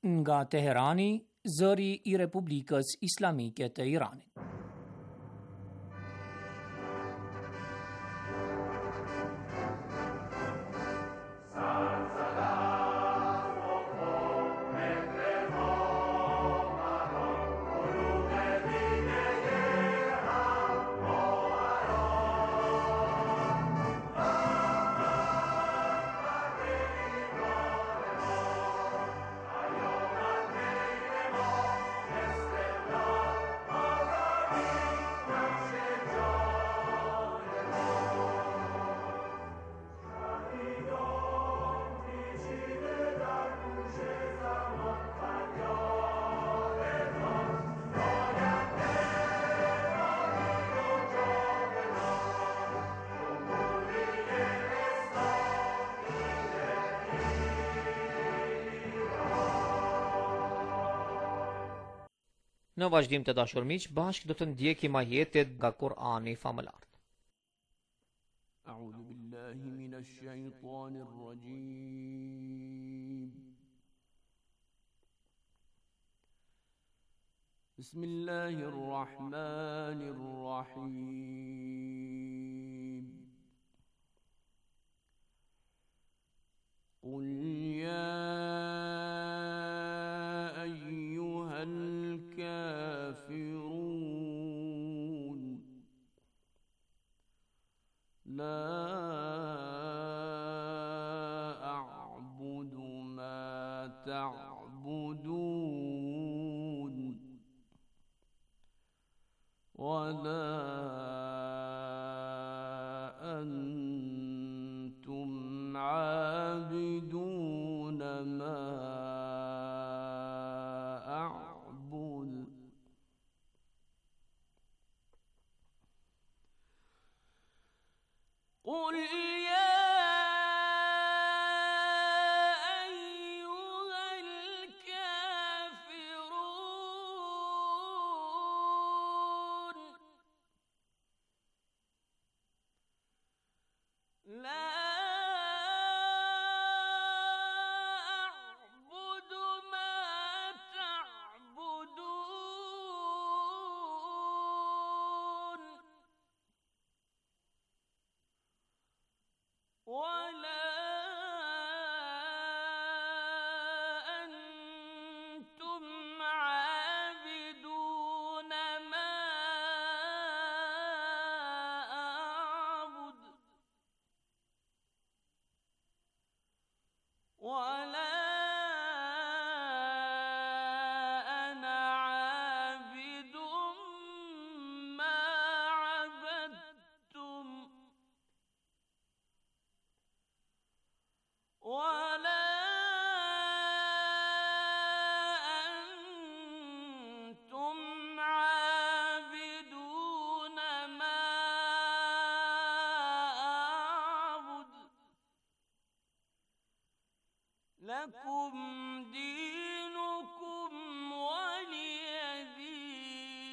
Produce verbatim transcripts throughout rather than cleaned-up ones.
Nga Teherani, zëri i Republikës Islamike të Iranit. Në vazhdim të dashur miq, bashkë do të ndjekim ajetet nga Kur'ani famëlart. A'udhu billahi minash shaitanir rajim. Bismillahir rahmanir rahim. Qul ya ayyuhal الكافرون لا أعبد ما تعبدون ولا أنتم عابدون ما قل يا أيها الكافرون لا أعبد ما تعبدون ولا أنتم عابدون ما أعبد ولا أنا عابد ما عبدتم ولا أنتم عابدون ما أعبد لكم دينكم ولي دين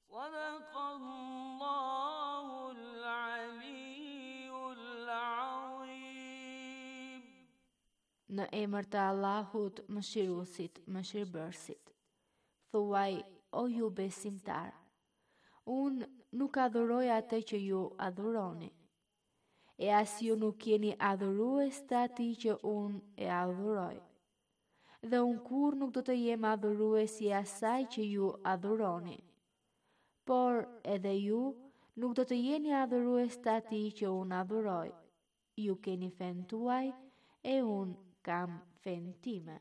صدق الله العلي العظيم. Në emër të Allahut, mëshiruesit, mëshirbërësit. Thuaj, o ju besimtar, unë nuk adhuroj atë që ju adhuroni, e as ju nuk jeni adhurues të atij që unë e adhuroj. Dhe unë kurrë nuk do të jem adhurues i asaj që ju adhuroni. Por edhe ju nuk do të jeni adhurues të atij që unë adhuroj. Ju keni fenë tuaj e unë kam fenë time.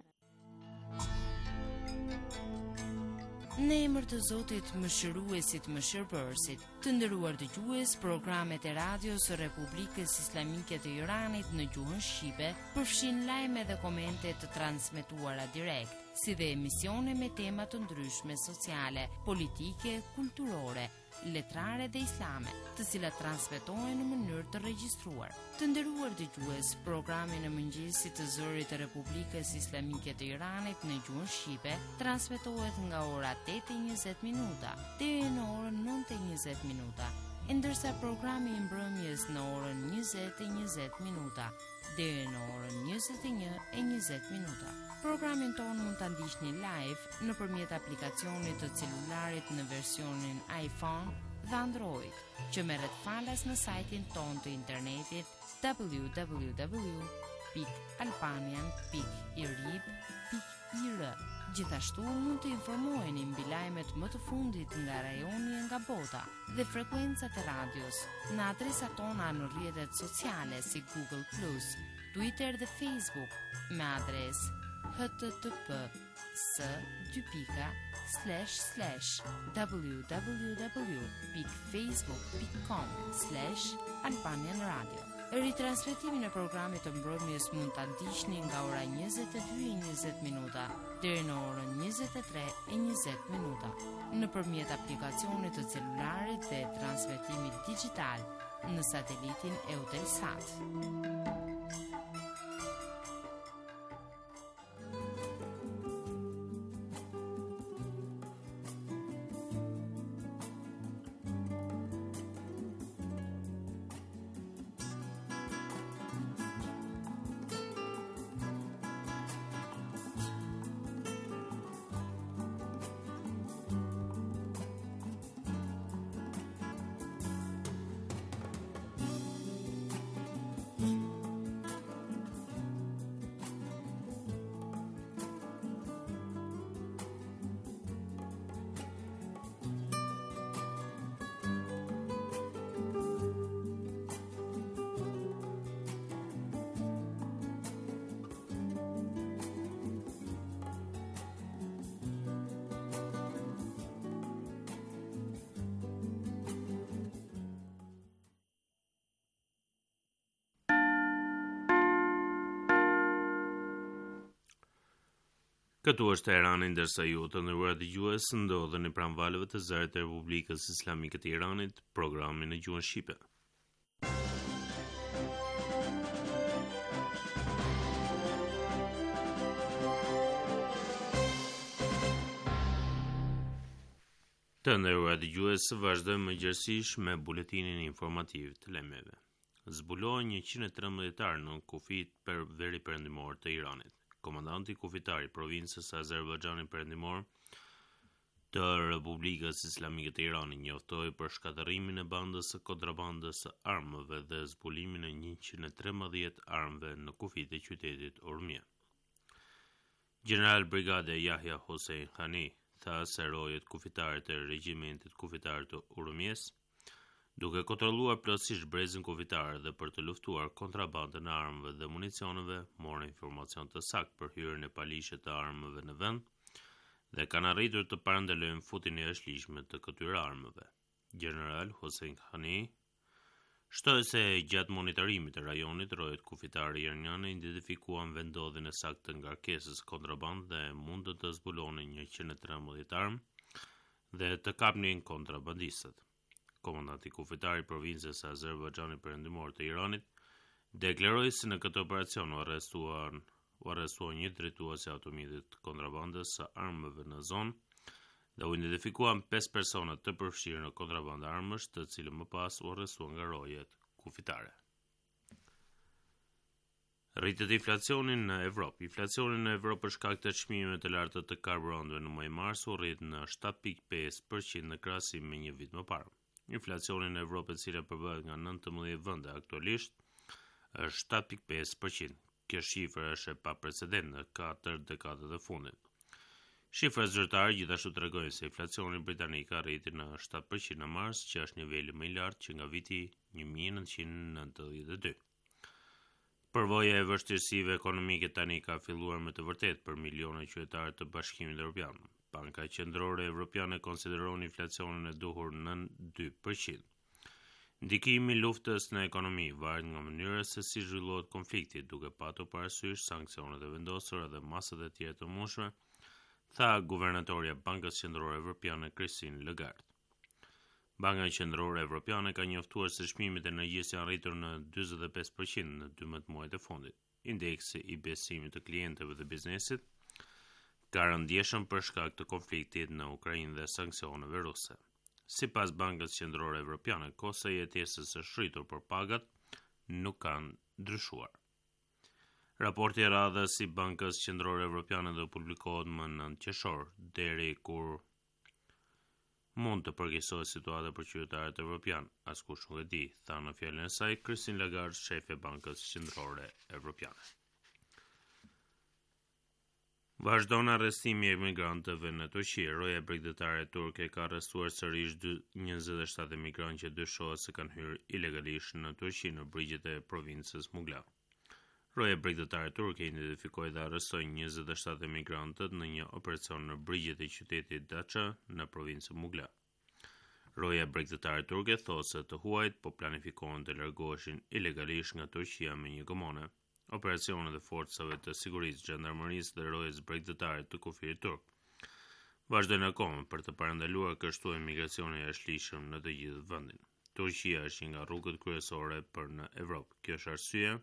Në emër të Zotit, mëshiruesit, mëshirbërësit, të nderuar dëgjues, programet e radios së Republikës Islamike të Iranit në gjuhën shqipe përfshin lajme dhe komente të transmetuara direkt, si dhe emisione me tema të ndryshme sociale, politike, kulturore, letrare dhe islame, të cilat transmetohen në mënyrë të regjistruar. Të nderuar dëgjues, programin e mëngjesit të Zërit të Republikës Islamike të Iranit në gjuhën shqipe transmetohet nga ora tetë e njëzet minuta deri në orën nëntë e njëzet minuta, e ndërsa programi i mbrëmjes në orën njëzet e njëzet minuta deri në orën njëzet e një e njëzet minuta. Programin tonë mund ta ndiqni live nëpërmjet aplikacionit të celularit në versionin iPhone dhe Android, që merret falas në sajtin tonë të internetit w w w pikë albanian pikë irib pikë i r. Gjithashtu mund të informoheni mbi lajmet më të fundit nga rajoni e nga bota dhe frekuencat e radios në adresat tona në rrjetet sociale si Google Plus, Twitter dhe Facebook me adresë h t t p s dy pika slash slash w w w pikë facebook pikë com slash Albanian Radio. Ritransmetimin e programit të mbrëmjes mund ta ndiqni nga ora njëzet e dy e njëzet minuta deri në orën njëzet e tre e njëzet minuta nëpërmjet aplikacionit të celularit dhe transmetimit digital në satelitin Eutelsat. Këtu është Teherani, ndërsa ju të nderuar dëgjues ndodheni pranë valëve të zërit të Republikës Islamike të Iranit, programi në gjuhën shqipe. Të nderuar dëgjues, vazhdojmë më gjerësisht me buletinin informativ të lajmeve. Zbulohen njëqind e trembëdhjetë armë në kufit per veri perëndimor të Iranit. Komandanti kufitar i provincës së Azerbajxhanit Perëndimor të Republikës Islamike të Iranit njoftoi për shkatërrimin e bandës së kontrabandës së armëve dhe zbulimin e njëqind e trembëdhjetë armëve në kufit e qytetit Urmia. General Brigade Yahya Hossein Khani tha se rojet kufitare të regjimentit kufitar të Urmies, duke kontrolluar plotësisht brezin kufitar dhe për të luftuar kontrabandën e armëve dhe municioneve, morën informacion të saktë për hyrjen e paligjshme të armëve në vend dhe kanë arritur të parandalojnë futjen e jashtëligjshme të këtyre armëve. General Hossein Khani shtoi se gjatë monitorimit të rajonit, rojet kufitare iraniane identifikuan vendodhjen e saktë të ngarkesës kontrabandë dhe mundën të zbulonin njëqind e trembëdhjetë armë dhe të kapnin kontrabandistët. Komandanti kufitar i provincës së Azerbajxhanit Perëndimor të Iranit deklaroi se në këtë operacion u arrestuan, u arrestua një drejtues i automjetit të kontrabandës së armëve në zonë dhe u identifikuan pesë persona të përfshirë në kontrabandë armësh, të cilët më pas u arrestuan nga rojet kufitare. Rritet inflacioni në Evropë. Inflacioni në Evropë për shkak të çmimeve të larta të karburanteve në muajin mars u rrit në shtatë pikë pesë përqind në krahasim me një vit më parë. Inflacioni në Evropë, e cila përbëhet nga nëntëmbëdhjetë vende aktualisht, është shtatë pikë pesë përqind. Kjo shifër është e paprecedent në katër dekadat e fundit. Shifrat zyrtare gjithashtu tregojnë se inflacioni britanik arriti në shtatë përqind në mars, që është niveli më i lartë që nga viti një mijë e nëntëqind e nëntëdhjetë e dy. Përvoja e vështirësive ekonomike tani ka filluar me të vërtetë për miliona qytetarë të Bashkimit Evropian. Banka Qendrore Evropiane konsideron inflacionin e duhur nën dy përqind. Ndikimi i luftës në ekonomi varet nga mënyra se si zhvillohet konflikti, duke patur parasysh sanksionet e vendosura dhe masat e tjera të mundshme, tha guvernatorja e Bankës Qendrore Evropiane Christine Lagarde. Banka Qendrore Evropiane ka njoftuar se çmimet e energjisë janë rritur në dyzet e pesë përqind në dymbëdhjetë muajt e fundit. Indeksi i besimit të klientëve dhe biznesit ka rënë ndjeshëm për shkak të konfliktit në Ukrainë dhe sanksioneve ruse. Sipas Bankës Qendrore Evropiane, kostoja e jetesës është rritur, por pagat nuk kanë ndryshuar. Raporti i radhës i Bankës Qendrore Evropiane do publikohet më nëntë qershor, deri kur mund të përkeqësohet situata për qytetarët evropian, askush nuk e di, tha në fjalën e saj Christine Lagarde, shefe e Bankës Qendrore Evropiane. Vazhdon arrestimi i emigrantëve në Turqi. Roja bregdetare turke ka arrestuar sërish njëzet e shtatë emigrantë që dyshohet se kanë hyrë ilegalisht në Turqi në brigjet e provincës Mugla. Roja bregdetare turke identifikoi dhe arrestoi njëzet e shtatë emigrantët në një operacion në brigjet e qytetit Datça në provincën Mugla. Roja bregdetare turke thotë se të huajt po planifikohen të largoheshin ilegalisht nga Turqia me një gomone. Operacionet e forcave të sigurisë, xhandarmërisë dhe rojës bregdetare të kufirit turk vazhdojnë akoma për të parandaluar kështu emigracionin e jashtëligjshëm në të gjithë vendin. Turqia është një nga rrugët kryesore për në Evropë. Kjo është arsyeja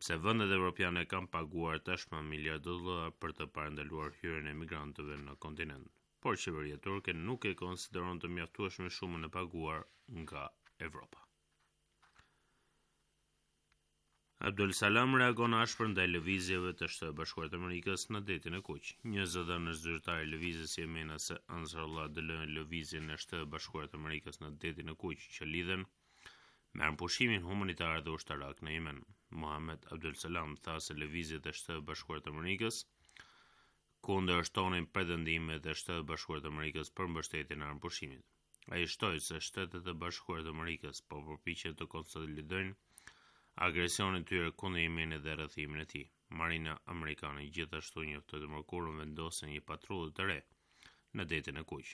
pse vendet evropiane kanë paguar tashmë miliarda dollar për të parandaluar hyrjen e emigrantëve në kontinent. Por qeveria turke nuk e konsideron të mjaftueshme shumën e paguar nga Evropa. Abdul Salam reagon ashpër ndaj lëvizjeve të Shteteve Bashkuara të Amerikës në Detin e Kuq. Një zëdhënës zyrtar i lëvizjes jemenase Ansarullah dënoi lëvizjen e Shteteve Bashkuara të Amerikës në Detin e Kuq që lidhen me armëpushimin humanitar dhe ushtarak në Jemen. Mohamed Abdul Salam tha se lëvizjet e Shteteve Bashkuara të Amerikës kundërshtonin pretendimet e Shteteve Bashkuara të Amerikës për mbështetjen e armëpushimit. Ai shtoi se Shtetet e Bashkuara të Amerikës po përpiqen të konsolidojnë agresionin e tyre kundër Jemenit dhe rrethimin e tij. Marina amerikane gjithashtu njoftoi të mërkurën vendosjen e një patrulle të re në Detin e Kuq.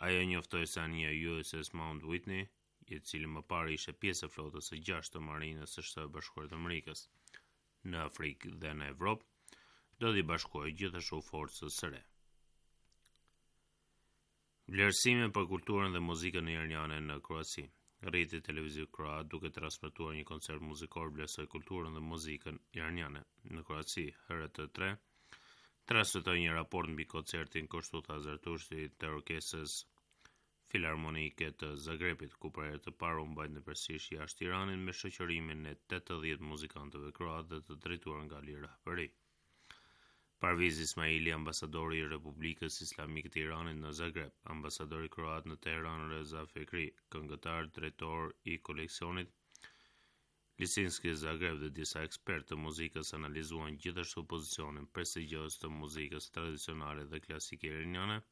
Ajo njoftoi se anija U S S Mount Whitney, i cili më parë ishte pjesë e flotës së gjashtë të Marinës së Shteteve Bashkuara të Amerikës në Afrikë dhe në Evropë, do t'i bashkohej gjithashtu forcës së re. Vlerësime për kulturën dhe muzikën iraniane në Kroaci. Rrjeti televiziv kroat duke transmetuar një koncert muzikor vlerësoi kulturën dhe muzikën iraniane. Në Kroaci, H R T tre transmetoi një raport mbi koncertin kështu tha Zartushti të orkestrës Filharmonike të Zagrebit, ku për herë të parë u mbajt në përsëri jashtë Iranit me shoqërimin e tetëdhjetë muzikantëve kroatë dhe të drejtuar nga Ali Rahbari. Parviz Ismaili, ambasadori i Republikës Islamike të Iranit në Zagreb, ambasadori kroat në Teheran Reza Fekri, këngëtar, drejtor i koleksionit Lisinski Zagreb dhe disa ekspertë të muzikës analizuan gjithashtu pozicionin prestigjioz të muzikës tradicionale dhe klasike iraniane,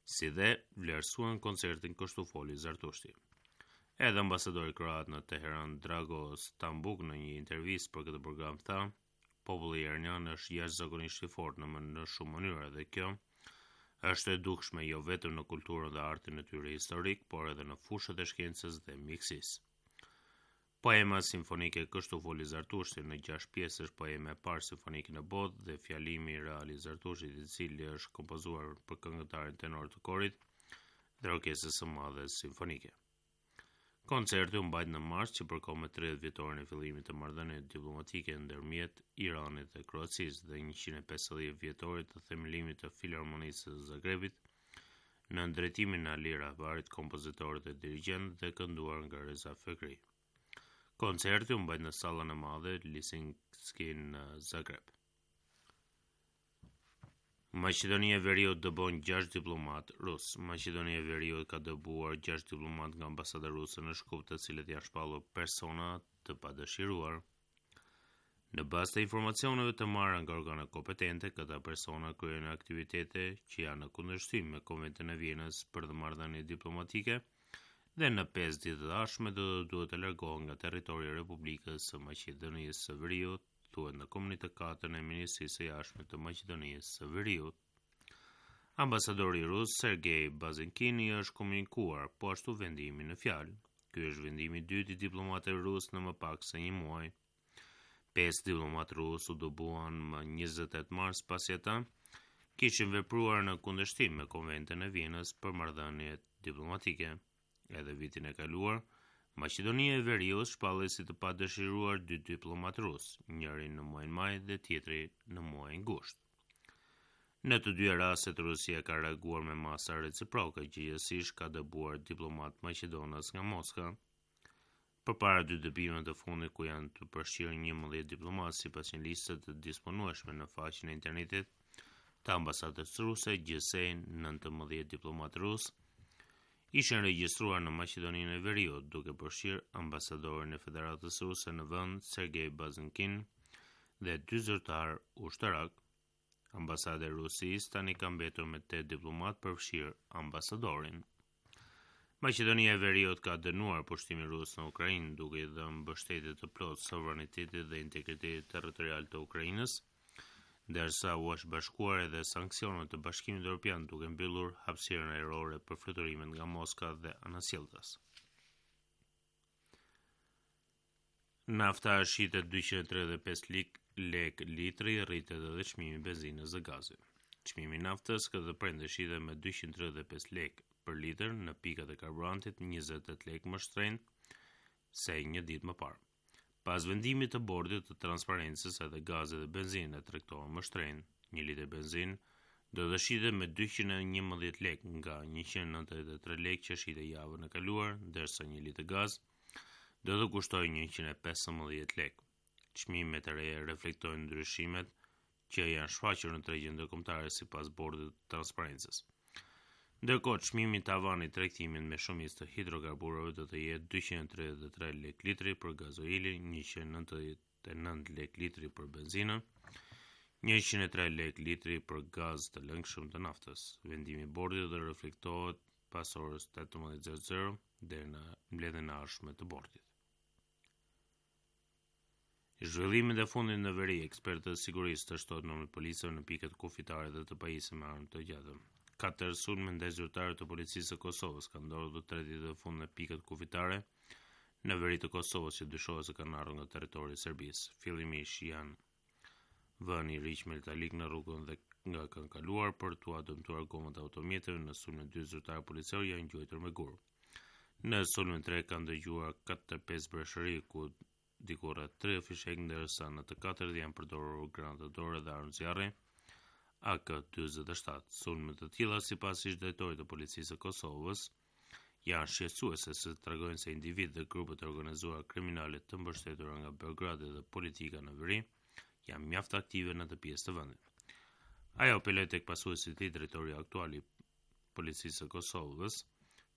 si dhe vlerësuan koncertin kështu foli Zartushti. Edhe ambasadori kroat në Teheran Drago Stambuk në një intervistë për këtë program tha: Populli iranian është jashtëzakonisht i fortë në mën-, në shumë mënyra dhe kjo është e dukshme jo vetëm në kulturën dhe artin e tyre historik, por edhe në fushët e shkencës dhe mjekësisë. Poema simfonike Kështu foli Zartushti në gjashtë pjesë është poema e parë simfonike në botë dhe fjalimi real i Zartushtit, i cili është kompozuar për këngëtarin tenor të korit dhe orkestrës së madhe simfonike. Koncerti u mbajt në mars që përkon me tridhjetë vjetorin e fillimit të marrëdhënieve diplomatike ndërmjet Iranit dhe Kroacisë dhe njëqind e pesëdhjetë vjetorit të themelimit të Filharmonisë së Zagrebit në drejtimin e Ali Rahbarit, kompozitorit dhe dirigjent dhe kënduar nga Reza Fekri. Koncerti u mbajt në sallën e madhe Lisinski në Zagreb. Maqedonia e Veriut dëbon gjashtë diplomat rus. Maqedonia e Veriut ka dëbuar gjashtë diplomat nga ambasada ruse në Shkup, të cilët janë shpallur persona të padëshiruar. Në bazë të informacioneve të marra nga organet kompetente, këta persona kryejnë aktivitete që janë në kundërshtim me Konventën e Vjenës për marrëdhënie diplomatike dhe në pesë ditë të ardhshme do të duhet të largohen nga territori i Republikës së Maqedonisë së Veriut, thuhet në komunikatën e Ministrisë së Jashtme të Maqedonisë së Veriut. Ambasadori rus Sergej Bazinkin i është komunikuar po ashtu vendimi në fjalë. Ky është vendimi i dytë i diplomatëve rus në më pak se një muaj. Pesë diplomatë rus u dëbuan më njëzet e tetë mars pasi ata kishin vepruar në kundërshtim me Konventën e Vjenës për marrëdhëniet diplomatike. Edhe vitin e kaluar, Maqedonia e Veriut shpalli si të padëshiruar dy diplomatë rus, njëri në muajin maj dhe tjetri në muajin gusht. Në të dyja rastet Rusia ka reaguar me masa reciproke, gjegjësisht ka dëbuar diplomat maqedonas nga Moska. Përpara dy dëbimeve të fundit ku janë të përfshirë njëmbëdhjetë diplomatë sipas një liste të disponueshme në faqen e internetit të ambasadës ruse, gjithsej nëntëmbëdhjetë diplomatë rusë ishin regjistruar në Maqedoninë e Veriut, duke përfshirë ambasadorin e Federatës Ruse në vend, Sergej Bazinkin, dhe dy zyrtarë ushtarak. Ambasada e Rusisë tani ka mbetur me tetë diplomatë, përfshirë ambasadorin. Maqedonia e Veriut ka dënuar pushtimin rus në Ukrainë, duke i dhënë mbështetje të plotë sovranitetit dhe integritetit territorial të Ukrainës, ndërsa u është bashkuar edhe sanksioneve të Bashkimit Evropian duke mbyllur hapësirën ajrore për fluturimet nga Moska dhe anasjelltas. Nafta shitet dyqind e tridhjetë e pesë lek litri, rritet edhe çmimi i benzinës dhe gazit. Çmimi i naftës këtë të premte shitet me dyqind e tridhjetë e pesë lek për litër në pikat e karburantit, njëzet e tetë lek më shtrenjtë se një ditë më parë. Pas vendimit të bordit të transparencës, edhe gazi dhe benzina tregtohen më shtrenjtë. Një litër benzinë do të shitet me dyqind e njëmbëdhjetë lek nga njëqind e nëntëdhjetë e tre lek që shitej javën e kaluar, ndërsa një litër gaz do të kushtojë njëqind e pesëmbëdhjetë lek. Çmimet e reja reflektojnë ndryshimet që janë shfaqur në tregjet ndërkombëtare sipas bordit të transparencës. Ndërkohë, çmimi tavan i tregtimit me shumicë të hidrokarbureve do të jetë dyqind e tridhjetë e tre lek litri për gazoilin, njëqind e nëntëdhjetë e nëntë lek litri për benzinën, njëqind e tre lek litri për gaz të lëngshëm të naftës. Vendimi i bordit do të reflektohet pas orës tetëmbëdhjetë zero zero deri në mbledhjen e ardhshme të bordit. Zhvillimet e fundit në veri, ekspertët e sigurisë të shtohet numri i policëve në pikat kufitare dhe të pajisë me armë të gjata. Katër sulme ndaj zyrtarëve të policisë së Kosovës kanë ndodhur të tre ditët e fundit në pikat kufitare në veri të Kosovës që dyshohet se kanë ardhur nga territori i Serbisë. Fillimisht janë vënë i riq metalik në rrugën dhe nga kanë kaluar për t'ua dëmtuar gomat e automjeteve. Në sulmin dy zyrtarë policorë janë gjuajtur me gurë. Në sulmin tre kanë dëgjuar katër pesë breshëri ku diku rreth tre fishek, ndërsa në të katërt janë përdorur granata dore dhe armë zjarri A K dyzet e shtatë. Sulme të tilla sipas ish drejtorit të policisë së Kosovës janë shqetësuese se tregojnë se individë dhe grupe të organizuara kriminale të mbështetura nga Beogradi dhe politika në veri janë mjaft aktive në të pjesë të vendit. Ajo apeloi tek pasuesi i tij, drejtori aktual i policisë së Kosovës,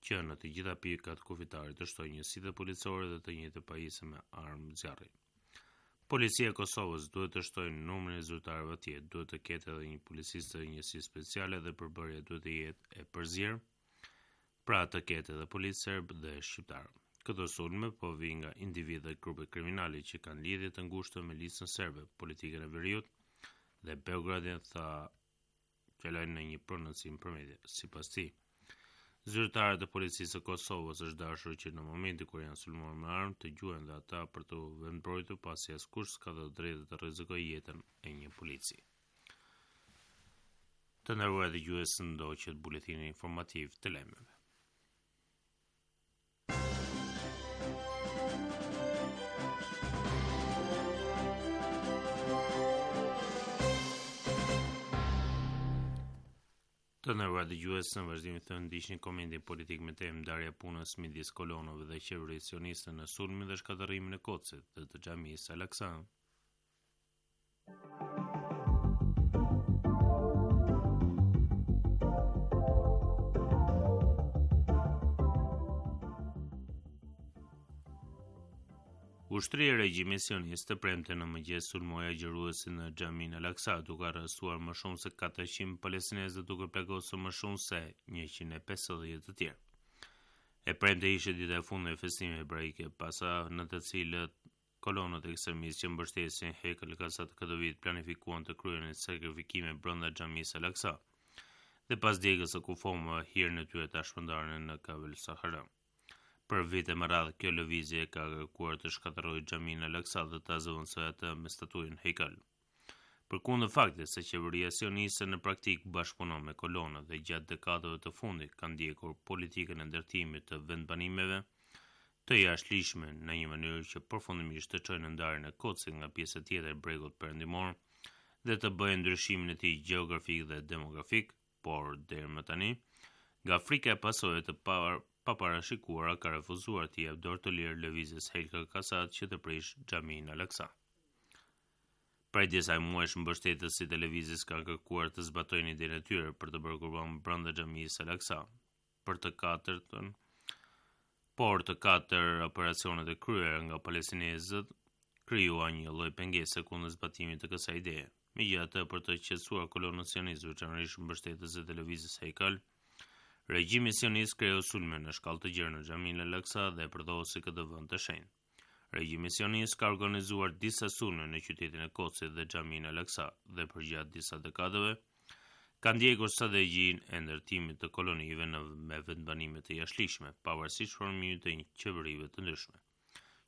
që në të gjitha pikat kufitare të shtojë njësitë policore dhe të njëjtë pajisje me armë zjarri. Policia e Kosovës duhet të shtojë numrin e zyrtarëve atje, duhet të ketë edhe një policist të njësisë speciale dhe përbërja duhet të jetë e përzier, pra të ketë edhe policë serb dhe shqiptar. Këto sulme po vijnë nga individë dhe grupe kriminale që kanë lidhje të ngushta me listën serbe, politikën e veriut dhe Beogradin, tha Qelaj në një prononcim për media. Sipas tij, zyrtarët e policisë së Kosovës është dashur që në momentin kur janë sulmuar me armë të gjuhen dhe ata për të vendmbrojtur, pasi askush s'ka të drejtë të rrezikojë jetën e një polici. Të nderuar dëgjues, ndoqët buletinin informativ të lajmeve. Të nderuar dëgjues, në vazhdim të ndiqni komentin politik me temë ndarja e punës midis kolonëve dhe qeverisë sioniste në sulmin dhe shkatërrimin e Kudsit dhe të xhamisë Al-Aqsa. Ushtria e regjimit sionist të premte në mëngjes sulmoi agjëruesin në xhaminë Al-Aqsa, duke arrestuar më shumë se katërqind palestinezë dhe duke plagosur më shumë se njëqind e pesëdhjetë të tjerë. E premte ishte dita e fundit e festimeve hebraike, pasa në të cilët kolonët ekstremistë që mbështesin Hekal Kasat këtë vit planifikuan të kryenin sakrifikime brenda xhamisë Al-Aqsa dhe pas djegës së kufomave hirin e tyre ta shpërndanin në Kavel Sahara. Për vite me radhë, kjo lëvizje ka kërkuar të shkatërrojë xhaminë Al-Aqsa dhe ta zëvendësojë atë me statujën Hekal. Përkundër faktit se qeveria sioniste në praktik bashkëpunon me kolonët dhe gjatë dekadave të fundit ka ndjekur politikën e ndërtimit të vendbanimeve të jashtëligjshme në një mënyrë që përfundimisht të çojë në ndarjen e Kudsit nga pjesa tjetër e bregut perëndimor dhe të bëjë ndryshimin e tij gjeografik dhe demografik, por deri më tani, nga frika e pasojave të paparashikuara ka refuzuar t'i jap dorë të lirë lëvizjes Haykal Kasat që të prish xhaminë Al-Aqsa. Prej disa muajsh mbështetësit e lëvizjes kanë kërkuar të zbatojnë idenë e tyre për të bërë kurban brenda xhamisë Al-Aqsa. Për të katërtën, por të katër operacionet e kryera nga palestinezët krijuan një lloj pengese kundër zbatimit të kësaj ideje. Megjithatë, për të qetësuar kolonët sionistët, veçanërisht mbështetësit e lëvizjes Haykal, regjimi sionist kreu sulme në shkallë të gjerë në xhaminë Al-Aqsa dhe e përdhosi këtë vend të shenjtë. Regjimi sionist ka organizuar disa sulme në qytetin e Kudsit dhe xhaminë Al-Aqsa dhe përgjatë disa dekadave ka ndjekur strategjinë e ndërtimit të kolonive në me vendbanime të jashtëligjshme, pavarësisht formimit të qeverive të ndryshme.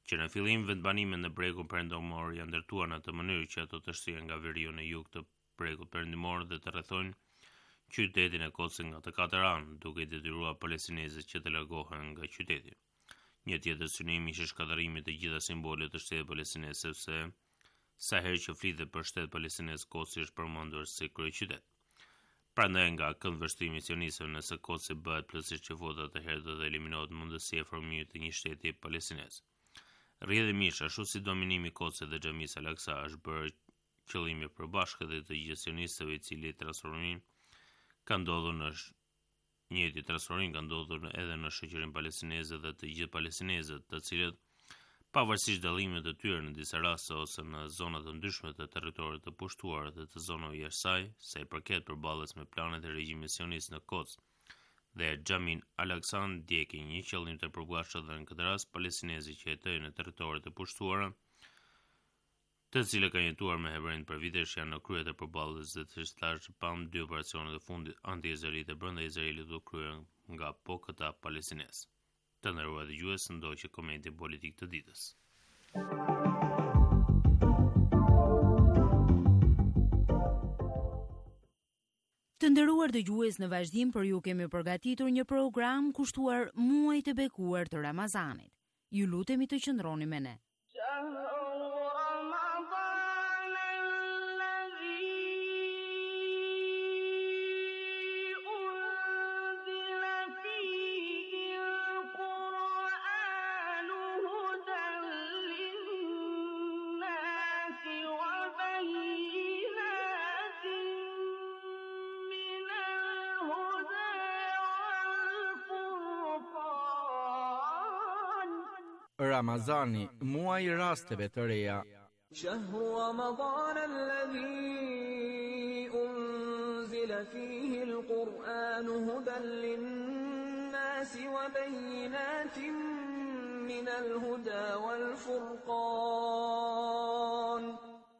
Që në fillim vendbanimet në bregun perëndimor janë ndërtuar në atë mënyrë që ato të shtrihen nga veriu në jug të bregut perëndimor dhe të rrethojnë qytetin e Kudsit nga të katër anë, duke i detyruar palestinezët që të largohen nga qyteti. Një tjetër synim ishte shkatërrimi i të gjitha simboleve të shtetit palestinez, sepse sa herë që flitet për shtet palestinez, Kudsi është përmendur si kryeqytet. Prandaj nga këndvështrimi i sionistëve, nëse Kudsi bëhet plotësisht çifut, atëherë do të eliminohet mundësia e formimit të një shteti palestinez. Rrjedhimisht, ashtu si dominimi i Kudsit dhe xhamisë Al-Aqsa është bërë qëllimi i përbashkët i të gjithë sionistëve, i cili transformim ka ndodhur në njëjti transformim ka ndodhur edhe në shoqërinë palestineze dhe të gjithë palestinezët, të cilët pavarësisht dallimeve të tyre në disa raste ose në zona të ndryshme të territorit të pushtuar dhe të zonave jashtë saj, sa i përket përballjes me planet e regjimit sionist në Kuds dhe xhaminë Al-Aqsa ndjekin një qëllim të përbashkët dhe në këtë rast palestinezët që jetojnë në territoret e pushtuara, të cilët kanë jetuar me hebrejt për vitesh, janë në krye të përballjes dhe siç thash pam dy operacionet e fundit anti-izraelite brenda Izraelit u kryen nga po këta palestinezë. Të nderuar dëgjues, ndoqë komentin politik të ditës. Të nderuar dëgjues, në vazhdim për ju kemi përgatitur një program kushtuar muajit të bekuar të Ramazanit. Ju lutemi të qëndroni me ne. Ramazani, muaji i rasteve të reja. Shahru Ramadan alladhi unzila fihi al-Qur'an hudan lin-nasi wa bayyinatin min al-huda wal-furqan.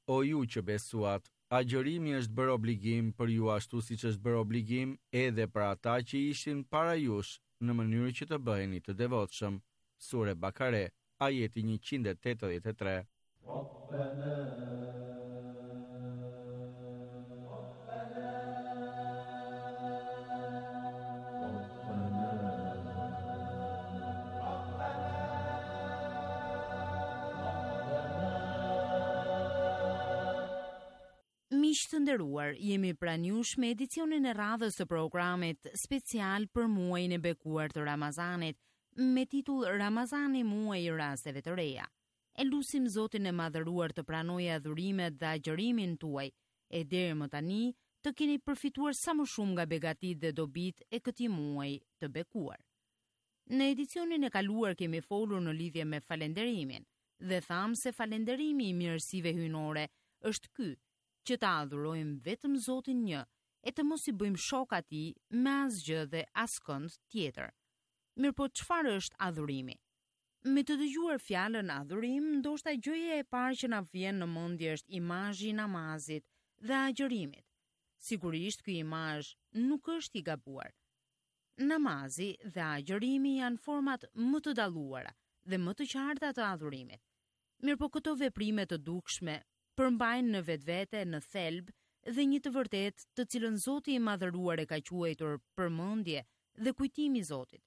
O ju që besuat, agjërimi është bërë obligim për ju ashtu siç është bërë obligim edhe për ata që ishin para jush, në mënyrë që të bëheni të devotshëm. Sure Bakare, ajeti njëqind e tetëdhjetë e tre. Miq të nderuar, jemi pranë jush me edicionin e radhës të programit special për muajin e bekuar të Ramazanit, me titull Ramazani, muaji i rasteve të reja. E lusim Zotin e madhëruar të pranojë adhurimet dhe agjërimin tuaj, e deri më tani të keni përfituar sa më shumë nga begatitë dhe dobitë e këtij muaji të bekuar. Në edicionin e kaluar kemi folur në lidhje me falenderimin dhe thamë se falenderimi i mirësive hyjnore është ky, që ta adhurojmë vetëm Zotin një e të mos i bëjmë shok atij me asgjë dhe askënd tjetër. Mirë po çfarë është adhurimi? Me të dëgjuar fjalën adhurim, ndoshta gjëja e parë që na vjen në mendje është imazhi i namazit dhe agjërimit. Sigurisht ky imazh nuk është i gabuar. Namazi dhe agjërimi janë format më të dalluara dhe më të qarta të adhurimit. Mirë po këto veprime të dukshme përmbajnë në vetvete, në thelb dhe një të vërtetë të cilën Zoti i madhëruar e ka quajtur përmendje dhe kujtimi i Zotit.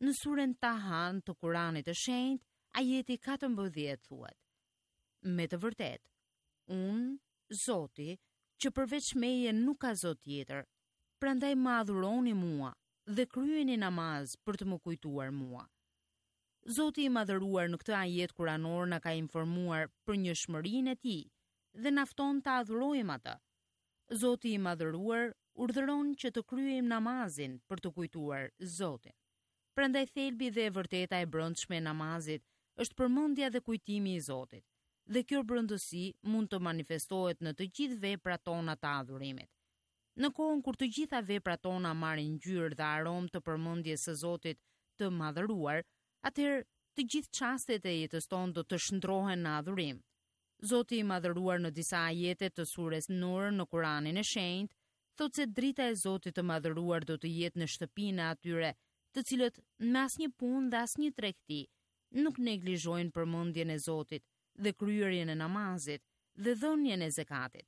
Në suren Tahan të Kuranit të Shenjtë, ajeti katërmbëdhjetë thuhet: Me të vërtetë, unë, Zoti, që përveç meje nuk ka Zot tjetër, prandaj më adhuroni mua dhe kryeni namaz për të më kujtuar mua. Zoti i madhëruar në këtë ajet kuranor na ka informuar për njëshmërinë e tij dhe na fton ta adhurojmë atë. Zoti i madhëruar urdhëron që të kryejmë namazin për të kujtuar Zotin. Prandaj thelbi dhe e vërteta e brendshme e namazit është përmendja dhe kujtimi i Zotit, dhe kjo brendësi mund të manifestohet në të gjithë veprat tona të adhurimit. Në kohën kur të gjitha veprat tona marrin ngjyrë dhe aromë të përmendjes së Zotit të madhëruar, atëherë të gjithë çastet e jetës tonë do të shndrohen në adhurim. Zoti i madhëruar në disa ajete të sures Nur në Kuranin e Shenjtë thotë se drita e Zotit të madhëruar do të jetë në shtëpinë e atyre, të cilët me asnjë punë dhe asnjë tregti nuk neglizhojnë përmendjen e Zotit dhe kryerjen e namazit dhe dhënien e zekatit.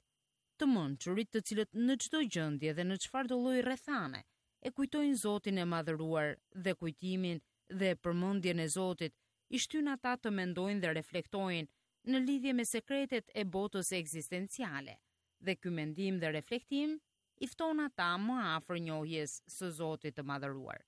Të mençurit, të cilët në çdo gjendje dhe në çfarëdo lloj rrethane e kujtojnë Zotin e madhëruar dhe kujtimin dhe përmendjen e Zotit i shtyn ata të mendojnë dhe reflektojnë në lidhje me sekretet e botës ekzistenciale, dhe ky mendim dhe reflektim i fton ata më afër njohjes së Zotit të madhëruar.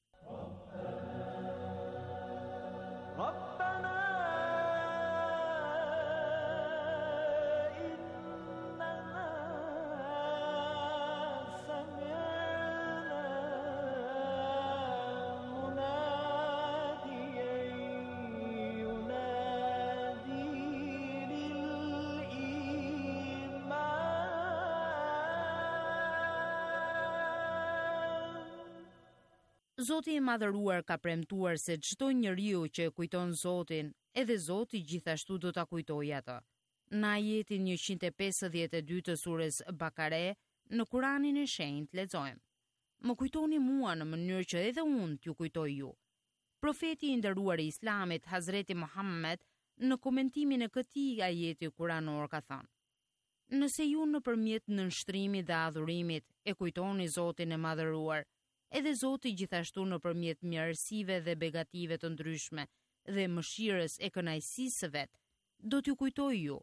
Zoti i madhëruar ka premtuar se çdo njeriu që e kujton Zotin, edhe Zoti gjithashtu do ta kujtojë atë. Në ajetin njëqind e pesëdhjetë e dy të sures Bakare, në Kuranin e Shenjtë lexojmë: Më kujtoni mua në mënyrë që edhe unë t'ju kujtoj ju. Profeti i nderuar i Islamit, Hazreti Muhammed, në komentimin e këtij ajeti kuranor ka thënë: Nëse ju nëpërmjet nënshtrimit dhe adhurimit e kujtoni Zotin e madhëruar, edhe Zoti gjithashtu nëpërmjet mirësive dhe begative të ndryshme dhe mëshirës e kënaqësisë së vet, do t'ju kujtoj ju.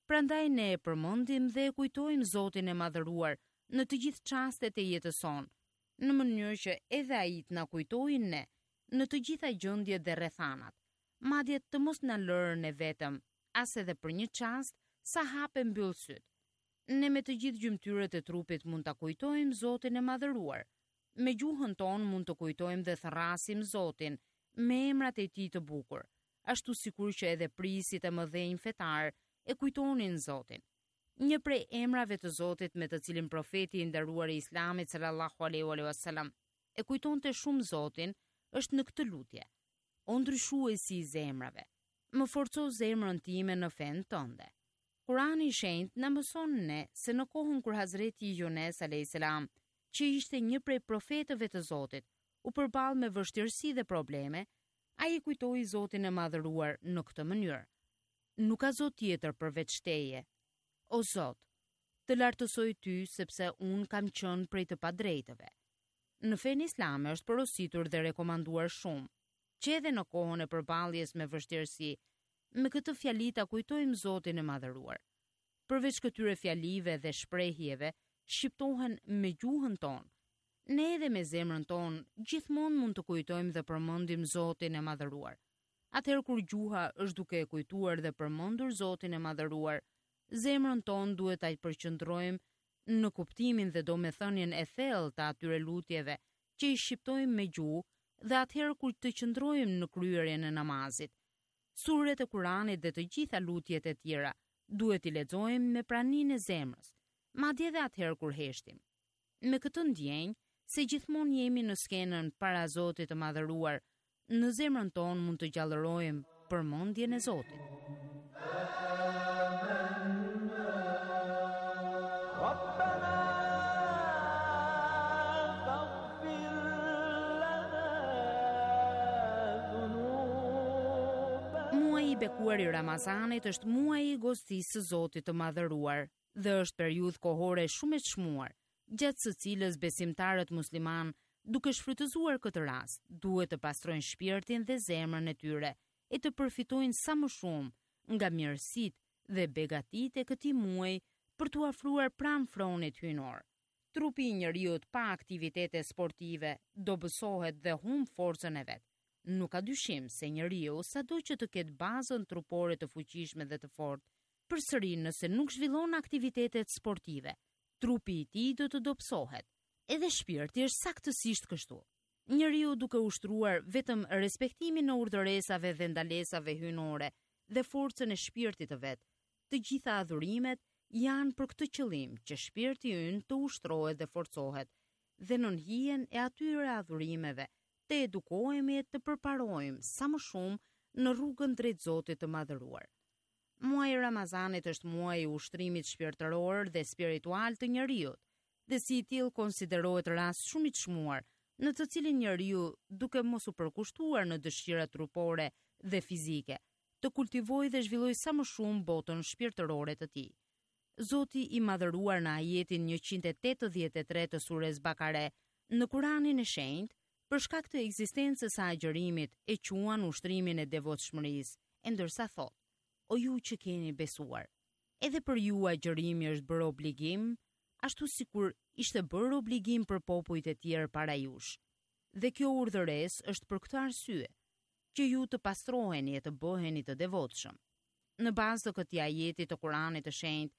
Prandaj ne e përmendim dhe e kujtojmë Zotin e madhëruar në të gjithë çastet e jetës sonë, në mënyrë që edhe ai të na kujtojë ne në të gjitha gjendjet dhe rrethanat, madje të mos na lërë ne vetëm, as edhe për një çast sa hap e mbyll syt. Ne me të gjithë gjymtyrët e trupit mund ta kujtojmë Zotin e madhëruar. Me gjuhën tonë mund të kujtojmë dhe thërrasim Zotin me emrat e tij të bukur, ashtu sikur që edhe prijësit e mëdhenj fetar e kujtonin Zotin. Një prej emrave të Zotit me të cilin profeti i nderuar i Islamit sallallahu alaihi wasallam e kujtonte shumë Zotin është në këtë lutje: O ndryshuesi i zemrave, më forco zemrën time në fenë tënde. Kurani i Shenjtë na mëson ne se në kohën kur Hazreti Yunus alayhis salam, që ishte një prej profetëve të Zotit, u përball me vështirësi dhe probleme, ai e kujtoi Zotin e madhëruar në këtë mënyrë: Nuk ka Zot tjetër përveç teje. O Zot, të lartësoj ty sepse unë kam qenë prej të padrejtëve. Në fenë islame është porositur dhe rekomanduar shumë, që edhe në kohën e përballjes me vështirësi, me këtë fjali ta kujtojmë Zotin e madhëruar. Përveç këtyre fjalive dhe shprehjeve, shqiptohen me gjuhën tonë. Ne edhe me zemrën tonë gjithmonë mund të kujtojmë dhe përmendim Zotin e madhëruar. Atëherë kur gjuha është duke e kujtuar dhe përmendur Zotin e madhëruar, zemrën tonë duhet ta përqendrojmë në kuptimin dhe domethënien e thellë të atyre lutjeve që i shqiptojmë me gjuhë dhe atëherë kur të qëndrojmë në kryerjen e namazit. Suret e Kuranit dhe të gjitha lutjet e tjera duhet i lexojmë me praninë e zemrës, madje edhe atëherë kur heshtim. Me këtë ndjenjë se gjithmonë jemi në skenën para Zotit të madhëruar, në zemrën tonë mund të gjallërojmë përmendjen e Zotit. Muaji i bekuar i Ramazanit është muaji i gostisë së Zotit të madhëruar dhe është periudhë kohore shumë e çmuar, gjatë së cilës besimtarët musliman, duke shfrytëzuar këtë rast, duhet të pastrojnë shpirtin dhe zemrën e tyre e të përfitojnë sa më shumë nga mirësitë dhe begatitë e këtij muaji për t'u afruar pranë fronit hyjnor. Trupi i njeriut pa aktivitete sportive dobësohet dhe humb forcën e vet. Nuk ka dyshim se njeriu, sado që të ketë bazën trupore të fuqishme dhe të fortë, përsëri nëse nuk zhvillon aktivitetet sportive, trupi i tij do të dobësohet. Edhe shpirti është saktësisht kështu. Njeriu duke ushtruar vetëm respektimin e urdhëresave dhe ndalesave hyjnore dhe forcën e shpirtit të vet, të gjitha adhurimet janë për këtë qëllim që shpirti ynë të ushtrohet dhe forcohet, dhe nën hijen e atyre adhurimeve të edukohemi e të përparojmë sa më shumë në rrugën drejt Zotit të Madhëruar. Muaji i Ramazanit është muaji i ushtrimit shpirtëror dhe spiritual të njeriut, dhe si i tillë konsiderohet rast shumë i çmuar, në të cilin njeriu, duke mos u përkushtuar në dëshirat trupore dhe fizike, të kultivojë dhe zhvillojë sa më shumë botën shpirtërore të tij. Zoti i Madhëruar në ajetin njëqind e tetëdhjetë e tre të Sures Bakare, në Kuranin e Shenjtë, për shkak të ekzistencës së agjërimit, e quan ushtrimin e devotshmërisë, e ndërsa thotë: O ju që keni besuar, edhe për ju agjërimi është bërë obligim, ashtu sikur ishte bërë obligim për popujt e tjerë para jush. Dhe kjo urdhëresë është për këtë arsye, që ju të pastroheni e të bëheni të devotshëm. Në bazë të këtij ajeti të Kuranit të Shenjtë,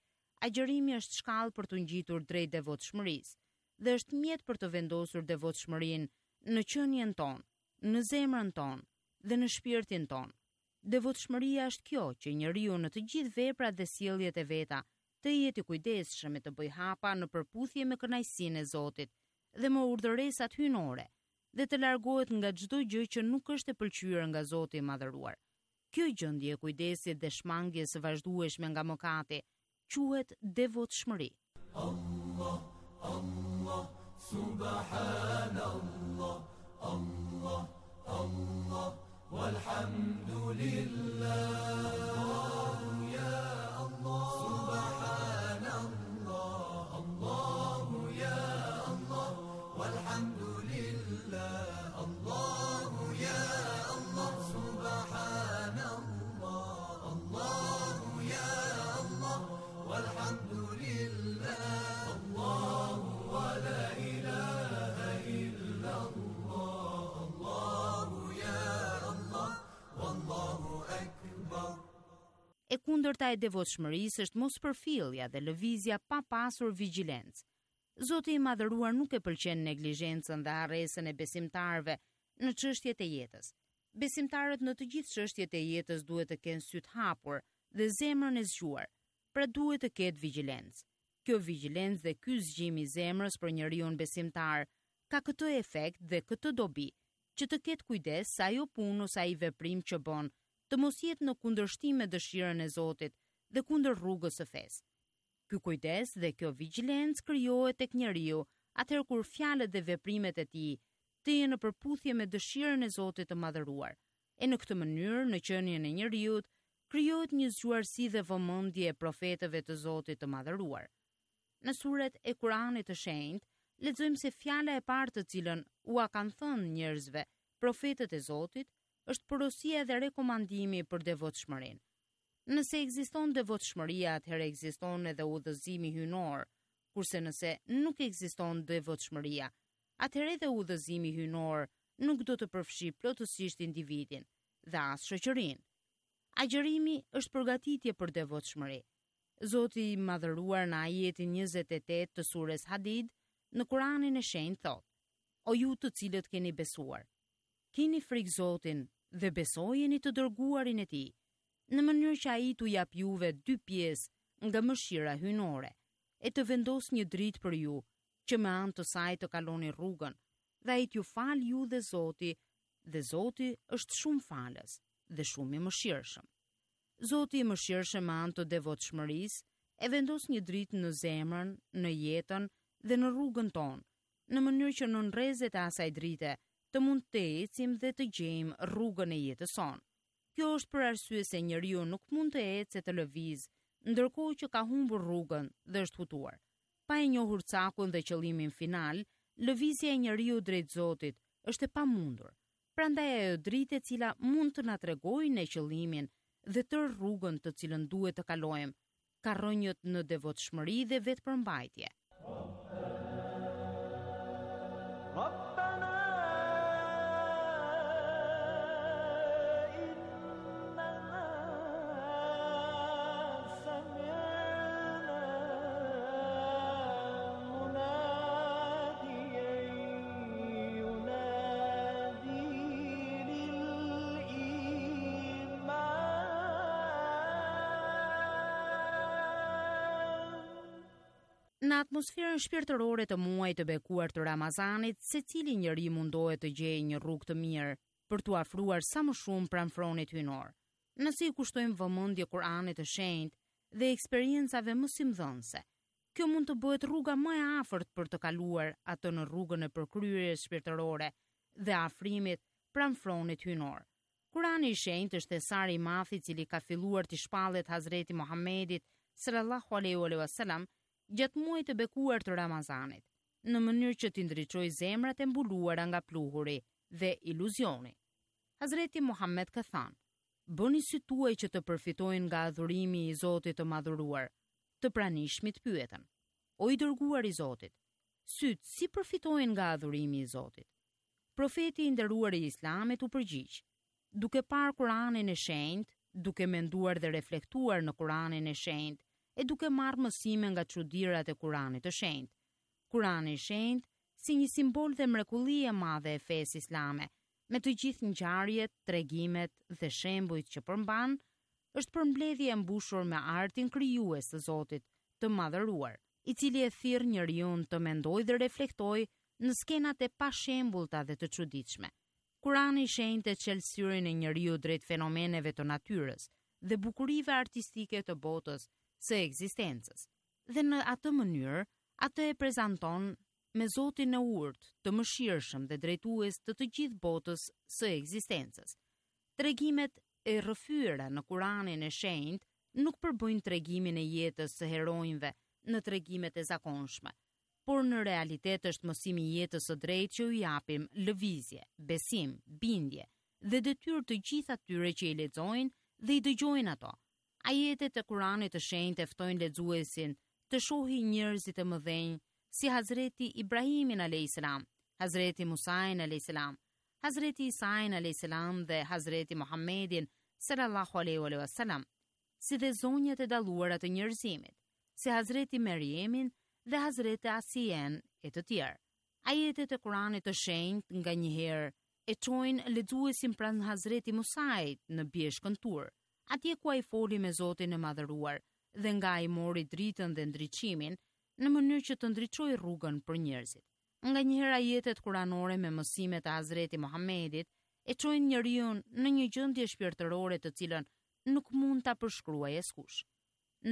agjërimi është shkallë për t'u ngjitur drejt devotshmërisë dhe është mjet për të vendosur devotshmërinë në qenien tonë, në zemrën tonë dhe në shpirtin tonë. Devotshmëria është kjo që njeriu në të gjithë veprat dhe sjelljet e veta të jetë i kujdesshëm e të bëjë hapa në përputhje me kënaqësinë e Zotit dhe me urdhëresat hyjnore dhe të largohet nga çdo gjë që nuk është e pëlqyer nga Zoti i Madhëruar. Kjo gjendje e kujdesit dhe shmangjes së vazhdueshme nga mëkati quhet devotshmëri. Allah, Allah, subhanallah, Allah, Allah, walhamdulillah. Allahu ya Allah, subhanallah, Allahu ya Allah, walhamdulillah, Allahu ya Allah, subhanallah, Allahu ya Allah, walhamdulillah, Allahu wa la ilaha illa Allah, Allahu ya Allah, wallahu akbar. E kundërta e devotshmërisë është mospërfillja dhe lëvizja pa pasur vigjilencë. Zoti i Madhëruar nuk e pëlqen neglizhencën dhe harresën e besimtarëve në çështjet e jetës. Besimtarët në të gjithë çështjet e jetës duhet të kenë sytë hapur dhe zemrën e zgjuar, pra duhet të ketë vigjilencë. Kjo vigjilencë dhe ky zgjim i zemrës për njeriun besimtar ka këtë efekt dhe këtë dobi, që të ketë kujdes se ajo punë ose ai veprim që bën të mos jetë në kundërshtim me dëshirën e Zotit dhe kundër rrugës së fesë. Ky kujdes dhe kjo vigjilencë krijohet tek njeriu atëherë kur fjalët dhe veprimet e tij të jenë në përputhje me dëshirën e Zotit të Madhëruar. E në këtë mënyrë, në qenien e njeriut, krijohet një zgjuarsi dhe vëmendje e profetëve të Zotit të Madhëruar. Në suret e Kuranit të Shenjtë, lexojmë se fjala e parë të cilën ua kanë thënë njerëzve profetët e Zotit është porosia dhe rekomandimi për devotshmërinë. Nëse ekziston devotshmëria, atëherë ekziston edhe udhëzimi hyjnor, kurse nëse nuk ekziston devotshmëria, atëherë edhe udhëzimi hyjnor nuk do të përfshijë plotësisht individin dhe as shoqërinë. Agjërimi është përgatitje për devotshmëri. Zoti i Madhëruar në ajetin njëzet e tetë të sures Hadid në Kuranin e Shenjtë thotë: O ju të cilët keni besuar, keni frikë Zotin dhe besojeni të dërguarin e tij, në mënyrë që ai t'u jap juve dy pjesë nga mëshira hyjnore, e të vendos një dritë për ju, që me anë të saj të kaloni rrugën, dhe ai t'ju fal ju dhe Zoti, dhe Zoti është shumë falës dhe shumë i mëshirshëm. Zoti i mëshirshëm me anë të devotshmërisë e vendos një dritë në zemrën, në jetën dhe në rrugën tonë, në mënyrë që nën rrezet e asaj drite të mund të ecim dhe të gjejmë rrugën e jetës sonë. Kjo është për arsye se njeriu nuk mund të ecë e të lëvizë, ndërkohë që ka humbur rrugën dhe është hutuar. Pa e njohur cakun dhe qëllimin final, lëvizja e njeriu drejt Zotit është e pamundur. Prandaj ajo dritë e cila mund të na tregojë ne qëllimin dhe tërë rrugën të cilën duhet të kalojmë, ka rrënjët në devotshmëri dhe vetëpërmbajtje. ربنا إننا سمعنا مناديا ينادي للإيمان. Në atmosferën shpirtërore të muajit të bekuar të Ramazanit, secili njeri mundohet të gjejë një rrugë të mirë për t'u afruar sa më shumë pranë fronit hyjnor. Nëse i kushtojmë vëmendje Kur'anit të shenjtë dhe eksperiencave mësimdhënëse, kjo mund të bëhet rruga më e afërt për të kaluar atë në rrugën e përkryerjes shpirtërore dhe afrimit pranë fronit hyjnor. Kurani i shenjtë është thesari i madh i cili ka filluar t'i shpallet Hazreti Muhammedit sallallahu alaihi wasallam gjatë muajit të bekuar të Ramazanit, në mënyrë që t'i ndriçojë zemrat e mbuluara nga pluhuri dhe iluzioni. Hazreti Muhammed ka thënë: "Bëni sytë tuaj që të përfitojnë nga adhurimi i Zotit të madhëruar." Të pranishmit pyetën: "O i dërguar i Zotit, sytë si përfitojnë nga adhurimi i Zotit?" Profeti i nderuar i Islamit u përgjigj: "Duke parë Kur'anin e shenjtë, duke menduar dhe reflektuar në Kur'anin e shenjtë, e duke marrë mësime nga çudirat e Kur'anit të shenjtë. Kur'ani i shenjtë si një simbol dhe mrekulli e madhe e fesë islame, me të gjithë ngjarjet, tregimet dhe shembujt që përmban, është përmbledhje e mbushur me artin krijues të Zotit të madhëruar, i cili e thirr njeriu të mendojë dhe reflektojë në skenat e pashembullta dhe të çuditshme. Kurani i shenjtë e çel syrin e njeriu drejt fenomeneve të natyrës dhe bukurive artistike të botës së ekzistencës. Dhe në atë mënyrë, atë e prezanton me Zotin e urtë, të mëshirshëm dhe drejtues të të gjithë botës së ekzistencës. Tregimet e rrëfyera në Kur'anin e shenjtë nuk përbëjnë tregimin e jetës së heronjve në tregimet e zakonshme, por në realitet është mësimi i jetës së drejtë që u japim lëvizje, besim, bindje dhe detyrë të gjithë atyre që i lexojnë dhe i dëgjojnë ato. Ajetet e Kuranit të shenjtë e ftojnë lexuesin të shohin njerëzit e mëdhenj si Hazreti Ibrahimin alayhis salam, Hazreti Musain alayhis salam, Hazreti Isain alayhis salam dhe Hazreti Muhammedin sallallahu alaihi wasallam, si dhe zonjat e dalluara të njerëzimit, si Hazreti Merjemin dhe Hazreti Asien e të tjerë. Ajetet e Kuranit të shenjtë nganjëherë e çojnë lexuesin pranë Hazreti Musait në bjeshkën Tur, atje ku ai foli me Zotin e madhëruar dhe nga ai mori dritën dhe ndriçimin në mënyrë që të ndriçojë rrugën për njerëzit. Nganjëherë ajetet kuranore me mësimet e Hazreti Muhammedit e çojnë njeriu në një gjendje shpirtërore të cilën nuk mund ta përshkruajë askush.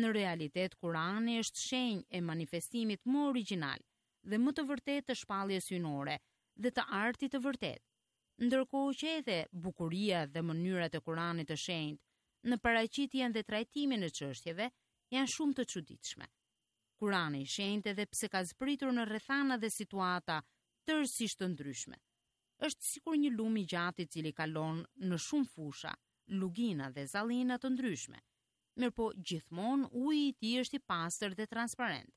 Në realitet, Kurani është shenjë e manifestimit më origjinal dhe më të vërtetë të shpalljes hyjnore dhe të artit të vërtetë. Ndërkohë që edhe bukuria dhe mënyrat e Kuranit të shenjtë në paraqitjen dhe trajtimin e çështjeve janë shumë të çuditshme. Kurani i shenjtë edhe pse ka zbritur në rrethana dhe situata tërësisht të ndryshme, është sikur një lum i gjatë i cili kalon në shumë fusha, lugina dhe zallina të ndryshme. Mirëpo gjithmonë uji i tij është i pastër dhe transparent.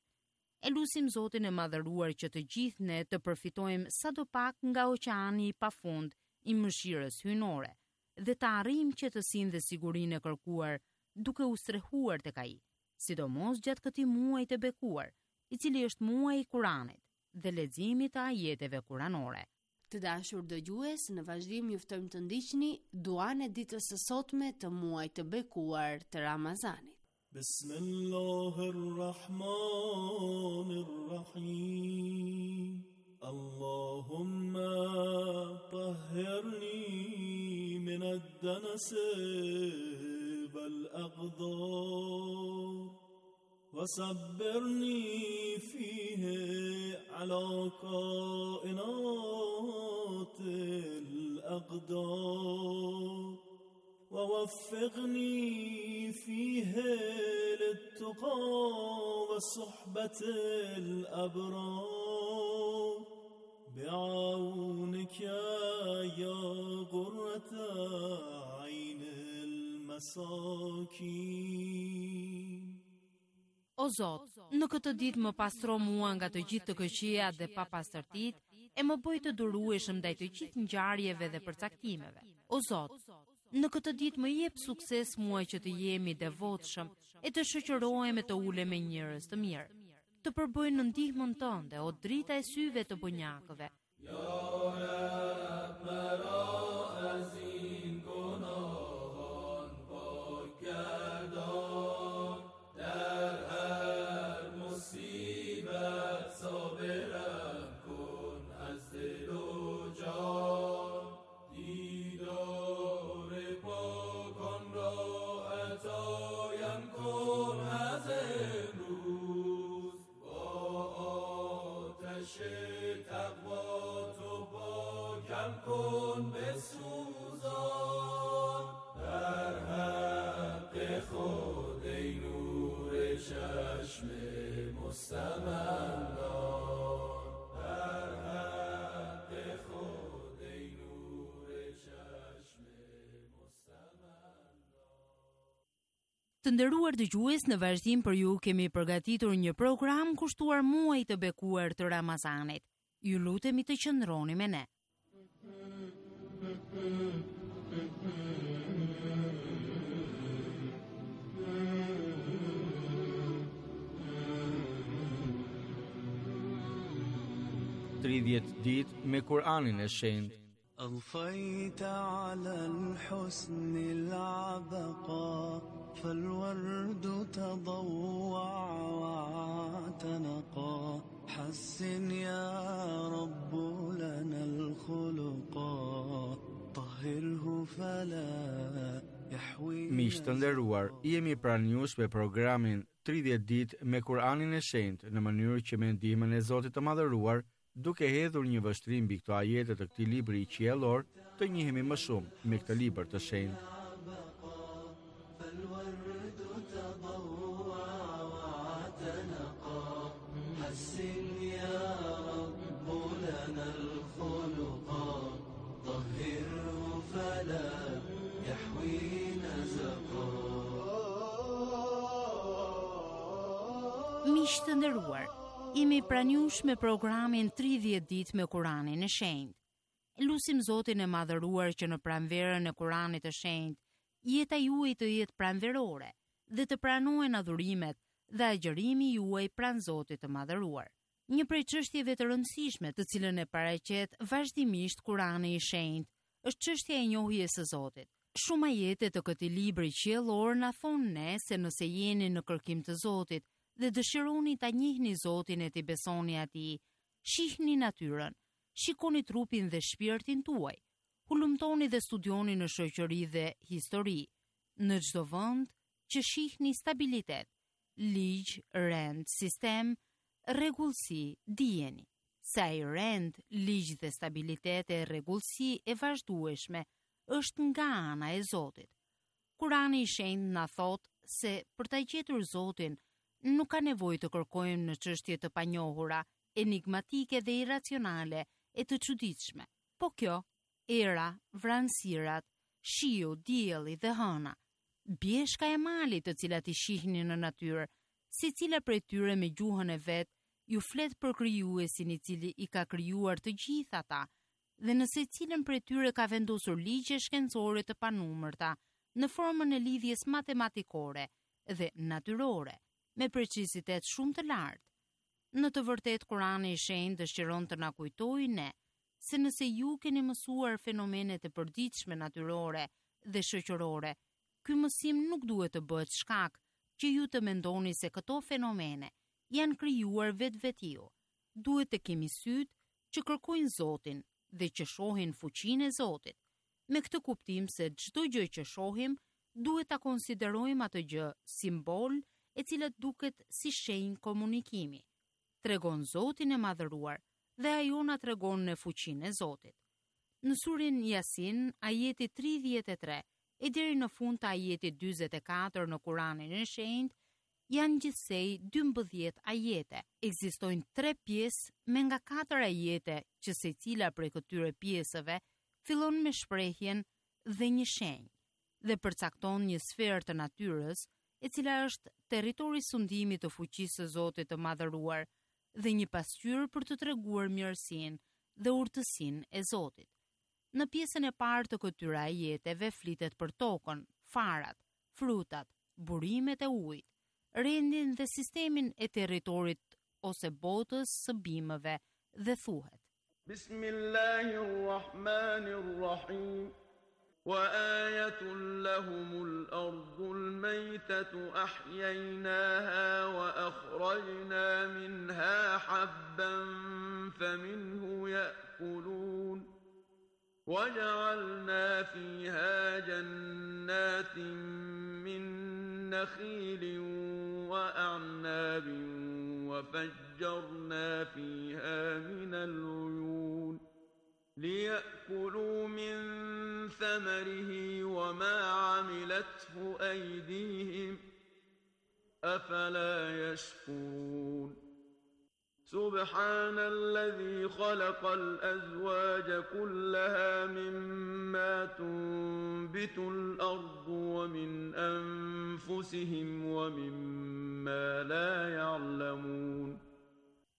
E lusim Zotin e madhëruar që të gjithë ne të përfitojmë sado pak nga oqeani i pafund i mëshirës hyjnore dhe të arrijmë qetësinë dhe sigurinë e kërkuar duke u strehuar tek ai, sidomos gjatë këtij muaji të bekuar, i cili është muaji i Kuranit dhe leximit të ajeteve kuranore. Të dashur dëgjues, në vazhdim ju ftojmë të ndiqni duan e ditës së sotme të muajit të bekuar të Ramazanit. Bismillahirrahmanirrahim. Allahumma tahhirni min ad-danas wal-aqdar وصبرني فيه على كائنات الأقدار ووفقني فيه للتقى وصحبة الأبرار بعونك يا قرة عين المساكين. O Zot, në këtë ditë më pastro mua nga të gjithë të këqijat dhe papastërtitë, e më bëj të durueshëm ndaj të gjithë ngjarjeve dhe përcaktimeve. O Zot, në këtë ditë më jep sukses mua që të jem i devotshëm e të shoqërohem e të ulem me njerëz të mirë. Të përbëj në ndihmën tënde, o drita e syve të bonjakëve. Të nderuar dëgjues, në vazhdim për ju kemi përgatitur një program kushtuar muajit të bekuar të Ramazanit. Ju lutemi të qëndroni me ne. Tridhjetë ditë me Kur'anin e Shenjtë. أضفيت على الحسن العبقى فالورد تضوع واعتنقا حسن يا رب لنا الخلقا طهره فلا يحوي Miq të nderuar, jemi pranë jush me programin tridhjetë ditë me Kur'anin e Shenjtë në mënyrë që me ndihmën e Zotit të Madhëruar, duke hedhur një vështrim mbi këto ajete të këtij libri qiellor, të njihemi më shumë me këtë libër të shenjtë. فالورد تضوع واعتنقا حسن يا رب لنا الخلقا طهره فلا يحوي نزقا. Miq të nderuar, jemi pranë jush me programin tridhjetë ditë me Kur'anin e Shenjtë. Lusim Zotin e Madhëruar që në pranverën e Kur'anit të Shenjtë, jeta juaj të jetë pranverore dhe të pranohen adhurimet dhe agjërimi juaj pranë Zotit të Madhëruar. Një prej çështjeve të rëndësishme të cilën e paraqet vazhdimisht Kur'ani i Shenjtë është çështja e njohjes së Zotit. Shumë ajete të këtij libri qiellor na thonë ne se nëse jeni në kërkim të Zotit dhe dëshironi ta njihni Zotin e t'i besoni atij, shihni natyrën, shikoni trupin dhe shpirtin tuaj, hulumtoni dhe studioni në shoqëri dhe histori, në çdo vend që shihni stabilitet, ligj, rend, sistem, rregullsi, dijeni se ai rend, ligj dhe stabilitet e rregullsi e vazhdueshme është nga ana e Zotit. Kurani i Shenjtë na thotë se për ta gjetur Zotin nuk ka nevojë të kërkojmë në çështje të panjohura, enigmatike dhe irracionale e të çuditshme. Po kjo, era, vranësirat, shiu, dielli dhe hëna, bjeshka e malit të cilat i shihni në natyrë, secila prej tyre me gjuhën e vet ju flet për krijuesin i cili i ka krijuar të gjithë ata, dhe në secilën prej tyre ka vendosur ligje shkencore të panumërta në formën e lidhjes matematikore dhe natyrore, me precizitet shumë të lartë. Në të vërtetë, Kurani i Shenjtë dëshiron të na kujtojë ne se nëse ju keni mësuar fenomenet e përditshme natyrore dhe shoqërore, ky mësim nuk duhet të bëhet shkak që ju të mendoni se këto fenomene janë krijuar vetvetiu. Duhet të kemi sytë që kërkojnë Zotin dhe që shohin fuqinë e Zotit. Me këtë kuptim se çdo gjë që shohim, duhet ta konsiderojmë atë gjë simbol e cila duket si shenjë komunikimi. Tregon Zotin e Madhëruar dhe ajo na tregon në fuqinë e Zotit. Në surin Yasin, ajeti tridhjetë e tre e deri në fund të ajetit dyzet e katër në Kur'anin e Shenjtë, janë gjithsej dymbëdhjetë ajete. Ekzistojnë tre pjesë me nga katër ajete që secila prej këtyre pjesëve fillon me shprehjen dhe një shenjë dhe përcakton një sferë të natyrës, e cila është territori sundimit të fuqisë së Zotit të Madhëruar dhe një pasqyrë për të treguar mirësinë dhe urtësinë e Zotit. Në pjesën e parë të këtyre ajeteve flitet për tokën, farat, frutat, burimet e ujit, rendin dhe sistemin e territorit ose botës së bimëve dhe thuhet: Bismillahirrahmanirrahim. Wa ayatun lahumul ardul maytatu ahyaynaha wa akhrajna minha habban faminhu ya'kulun. وجعلنا فيها جنات من نخيل وأعناب وفجرنا فيها من العيون ليأكلوا من ثمره وما عملته أيديهم أفلا يشكرون سبحان الذي خلق الأزواج كلها مما تنبت الأرض ومن أنفسهم ومما لا يعلمون.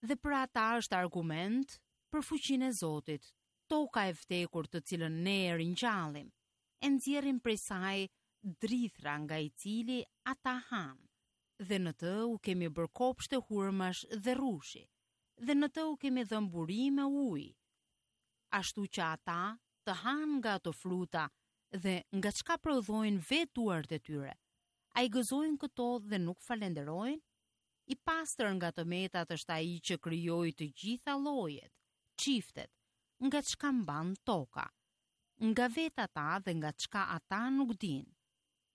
Dhe për ata është argument për fuqinë e Zotit, toka e vdekur të cilën ne e ringjallim, e nxjerrim prej saj drithra nga i cili ata hanë. Dhe në të u kemi bërë kopshte hurmash dhe rrushi, dhe në të u kemi dhënë burime uji, ashtu që ata të hanë nga ato fruta dhe nga çka prodhojnë vetë duart e tyre. A i gëzojnë këto dhe nuk falenderojnë? I pastër nga të metat është ai që krijoi të gjitha llojet, çiftet, nga çka mban toka, nga vetë ata dhe nga çka ata nuk dinë.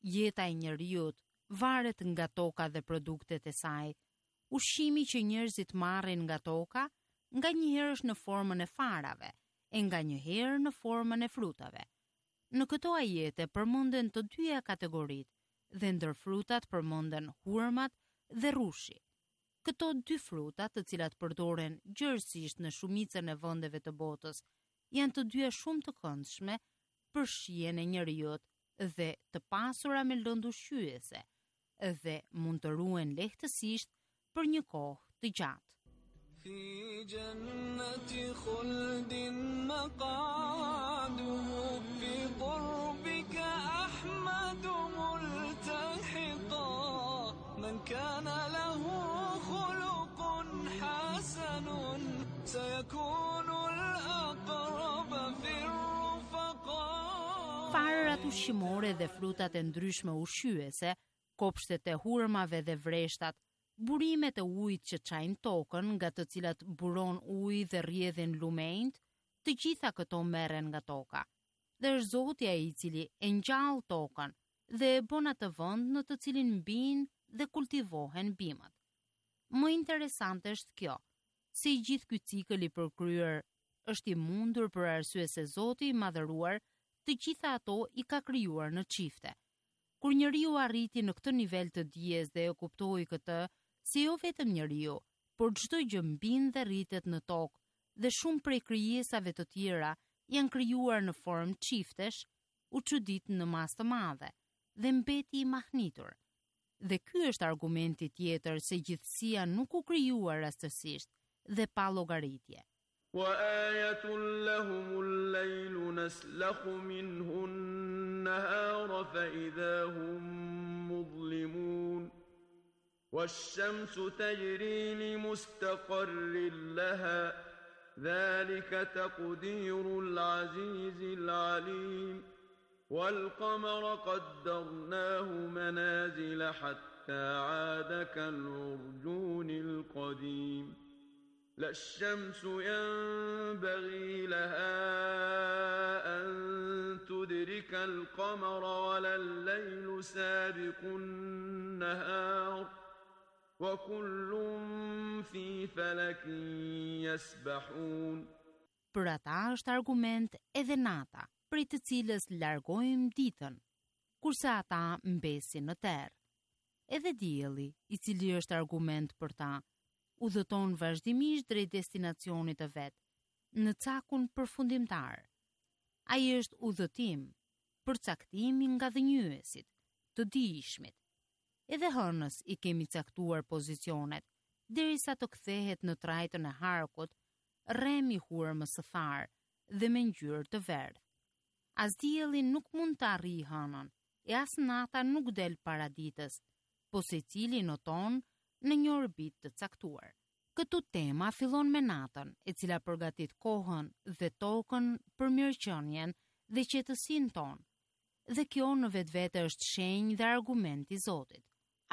Jeta e njeriut varet nga toka dhe produktet e saj. Ushqimi që njerëzit marrin nga toka, nganjëherë është në formën e farave, e nganjëherë në formën e frutave. Në këto ajete përmenden të dyja kategoritë, dhe ndër frutat përmenden hurmat dhe rrushi. Këto dy fruta, të cilat përdoren gjerësisht në shumicën e vendeve të botës, janë të dyja shumë të këndshme për shijen e njeriut dhe të pasura me lëndë ushqyese, dhe mund të ruhen lehtësisht për një kohë të gjatë. Fi jannati khuldin maqaduhu fi qurbika ahmadu multahiqa man kana lahu khuluqun hasanun sayakunu al-aqrab fi ar-rufaqa. Farërat ushqimore dhe frutat e ndryshme ushqyese, kopshtet e hurmave dhe vreshtat, burimet e ujit që çajnë tokën, nga të cilat buron uji dhe rrjedhin lumenjt, të gjitha këto merren nga toka. Dhe është Zoti ai i cili e ngjall tokën dhe e bën atë vend në të cilin mbijnë dhe kultivohen bimët. Më interesante është kjo, se i gjithë ky cikël i përkryer është i mundur për arsye se Zoti i madhëruar të gjitha ato i ka krijuar në çifte. Kur njeriu arriti në këtë nivel të dijes dhe e kuptoi këtë, se jo vetëm njeriu, por çdo gjë mbin dhe rritet në tokë, dhe shumë prej krijesave të tjera janë krijuar në formë çiftesh, u çudit në masë të madhe dhe mbeti i mahnitur. Dhe ky është argumenti tjetër se gjithësia nuk u krijua rastësisht dhe pa llogaritje. وآية لهم الليل نسلخ منه النهار فإذا هم مظلمون والشمس تجري لمستقر لها ذلك تقدير العزيز العليم والقمر قدرناه منازل حتى عاد كالعرجون القديم لا الشمس ينبغي لها أن تدرك القمر ولا الليل سابق النهار وكل في فلك يسبحون. Për ata është argument edhe nata, prej të cilës largojmë ditën, kurse ata mbesin në terr. Edhe dielli, i cili është argument për ta, udhëton vazhdimisht drejt destinacionit të vet, në cakun përfundimtar. Ai është udhëtim, përcaktimi nga dhënjyesit, të dijshmit. Edhe hënës i kemi caktuar pozicionet, derisa të kthehet në trajtën e harkut, rrem i hurmës së tharë dhe me ngjyrë të verdhë. As dielli nuk mund të arrijë hënën, e as nata nuk del para ditës, po secili noton në një orbitë të caktuar. Këtu tema fillon me natën, e cila përgatit kohën dhe tokën për mirëqenien dhe qetësinë tonë. Dhe kjo në vetvete është shenjë dhe argument i Zotit.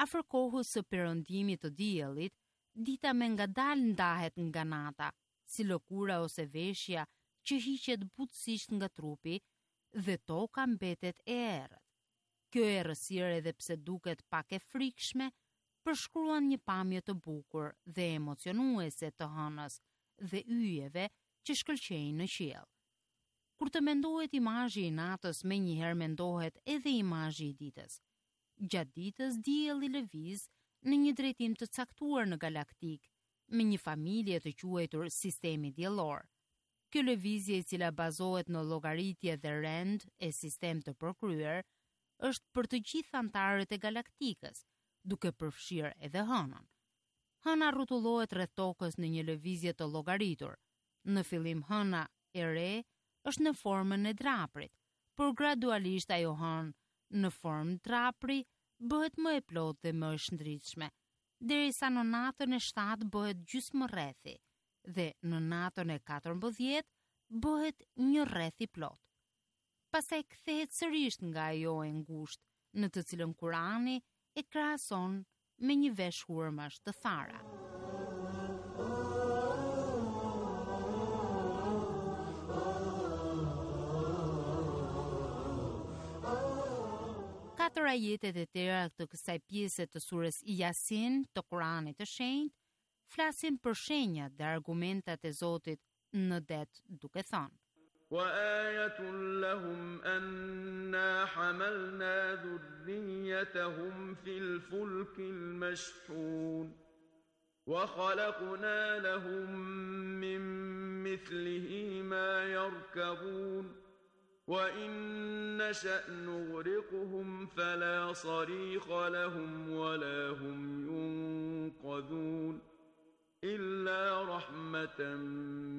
Afër kohës së perëndimit të diellit, dita me ngadalë ndahet nga nata, si lëkura ose veshja që hiqet butësisht nga trupi dhe toka mbetet e errët. Kjo errësirë, edhe pse duket pak e frikshme, përshkruan një pamje të bukur dhe emocionuese të hënës dhe yjeve që shkëlqejnë në qiell. Kur të mendohet imazhi i natës, menjëherë mendohet edhe imazhi i ditës. Gjatë ditës, dielli lëviz në një drejtim të caktuar në galaktikë, me një familje të quajtur sistemi diellor. Kjo lëvizje, e cila bazohet në llogaritje dhe rend e sistem të përkryer, është për të gjithë anëtarët e galaktikës, duke përfshirë edhe hënën. Hëna rrotullohet rreth tokës në një lëvizje të llogaritur. Në fillim hëna e re është në formën e draprit, por gradualisht ajo hënë në formë drapri bëhet më e plotë dhe më e shndritshme, derisa në natën e shtatë bëhet gjysmë rrethi dhe në natën e katërmbëdhjetë bëhet një rreth i plotë. Pastaj kthehet sërish nga ajo e ngushtë, në të cilën Kurani e krahason me një vesh hurmash të thara. Katër ajetet e tjera të kësaj pjese të surës Yasin të Kuranit të Shenjtë flasin për shenjat dhe argumentat e Zotit në det, duke thënë: وآية لهم أنا حملنا ذريتهم في الفلك المشحون وخلقنا لهم من مثله ما يركبون وإن نشأ نغرقهم فلا صريخ لهم ولا هم ينقذون إلا رحمة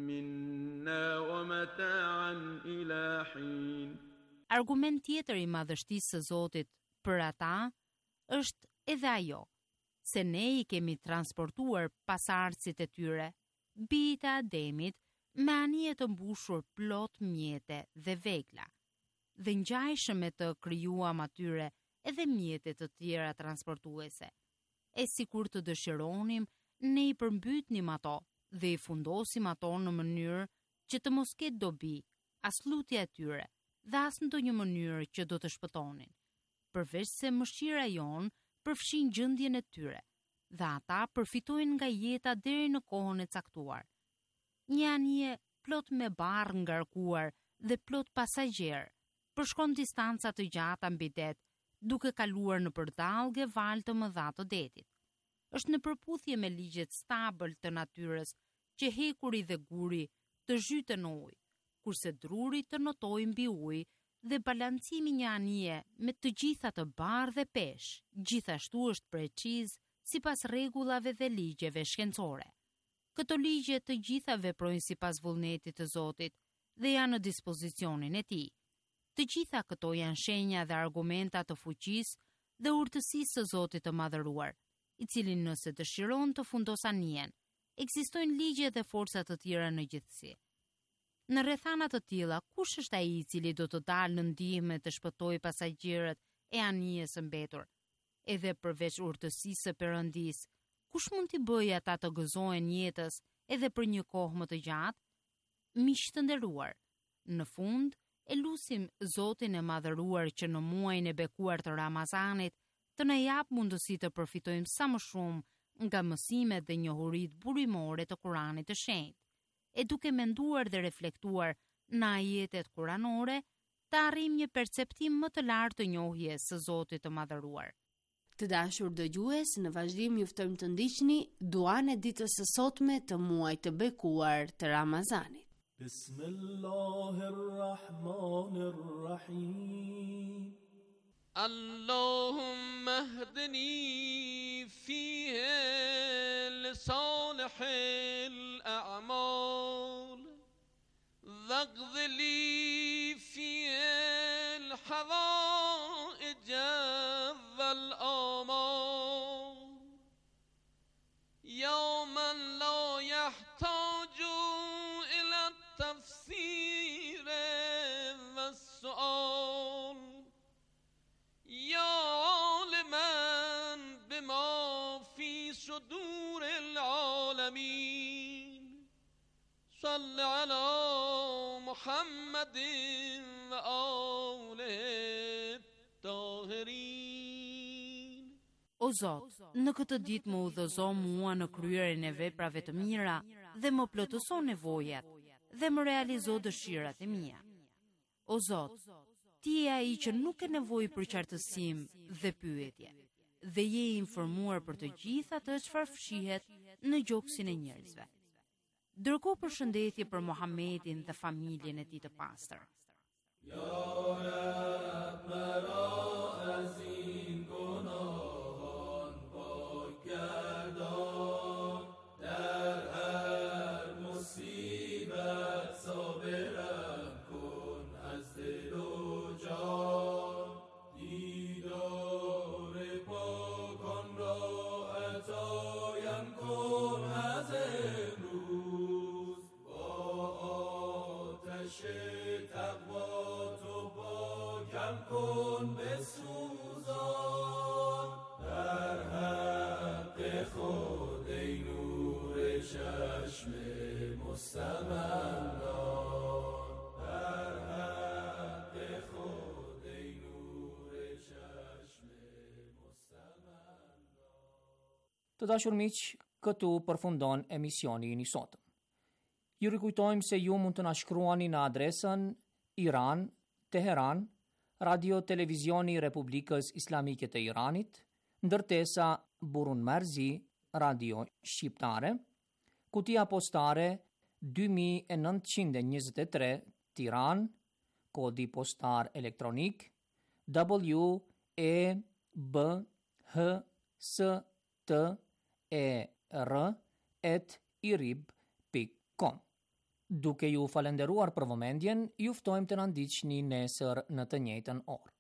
منا ومتاعا إلى حين. Argument tjetër i madhështisë së Zotit për ata është edhe ajo se ne i kemi transportuar pasardhësit e tyre, bijtë e Ademit, me anije të mbushur plot mjete dhe vegla. Dhe ngjajshëm me të krijuam atyre edhe mjete të tjera transportuese. E sikur të dëshironim, ne i përmbytnim ato dhe i fundosim ato në mënyrë që të mos ketë dobi as lutja e tyre dhe as ndonjë mënyrë që do të shpëtonin, përveç se mëshira jonë përfshin gjendjen e tyre dhe ata përfitojnë nga jeta deri në kohën e caktuar. Një anije plot me barrë ngarkuar dhe plot pasagjerë përshkon distanca të gjata mbi det, duke kaluar nëpër dallgë e valë të mëdha të detit. Është në përputhje me ligjet stabël të natyrës që hekuri dhe guri të zhyten në ujë, kurse druri të notojë mbi ujë dhe balancimi një anije me të gjitha të barrë dhe peshë, gjithashtu është preciz sipas rregullave dhe ligjeve shkencore. Këto ligje të gjitha veprojnë sipas vullnetit të Zotit dhe janë në dispozicionin e tij. Të gjitha këto janë shenja dhe argumenta të fuqisë dhe urtësisë së Zotit të madhëruar, i cili nëse dëshiron të fundos anijen, ekzistojnë ligje dhe forca të tjera në gjithësi. Në rrethana të tilla, kush është ai i cili do të dalë në ndihmë të shpëtojë pasagjerët e anijes së mbetur? Edhe përveç urtësisë së Perëndisë, kush mund t'i bëjë ata të gëzohen jetës edhe për një kohë më të gjatë? Miq të nderuar, në fund e lusim Zotin e madhëruar që në muajin e bekuar të Ramazanit të na jap mundësi të përfitojmë sa më shumë nga mësimet dhe njohuritë burimore të Kuranit të Shenjtë, e duke menduar dhe reflektuar në ajetet kuranore, të arrijmë një perceptim më të lartë të njohjes së Zotit të madhëruar. Të dashur dëgjues, në vazhdim ju ftojmë të ndiqni duan e ditës së sotme të muajit të bekuar të Ramazanit. Bismillahirrahmanirrahim. اللهم اهدني فيه لصالح الأعمال. واقض لي فيه الحوائج والآمال يا من لا يحتاج إلى التفسير والسؤال يا عالما بما في صدور العالمين صل على محمد وآله الطاهرين. O Zot, në këtë ditë më udhëzo mua në kryerjen e veprave të mira dhe më plotëso nevojat dhe më realizo dëshirat e mia. O Zot, ti je ai që nuk ke nevojë për qartësim dhe pyetje dhe je i informuar për të gjithë atë çfarë fshihet në gjoksin e njerëzve. Dërgo përshëndetje për Muhamedin dhe familjen e tij të pastër. یا رب مرا از این گناهان پاک گردان، در هر مصیبت صابرم کن از دل و جان. دیدار پاکان را عطایم کن از امروز، با آتش تقوا تو پاکم کن بسوزان. در حق خود ای نور چشم مستمندان، در حق خود ای نور چشم مستمندان. Të dashur miq, këtu përfundon emisioni i sotëm. Ju rikujtojmë se ju mund të na shkruani në adresën Iran, Teheran, Radio Televizioni i Republikës Islamike të Iranit, ndërtesa Burun Marzi, Radio Shqiptare, kutia postare dy mijë e nëntëqind e njëzet e tre, Tiranë, kodi postar elektronik W E B H S T E R at irib pikë com. Duke ju falenderuar për vëmendjen, ju ftojmë të na ndiqni nesër në të njëjtën orë.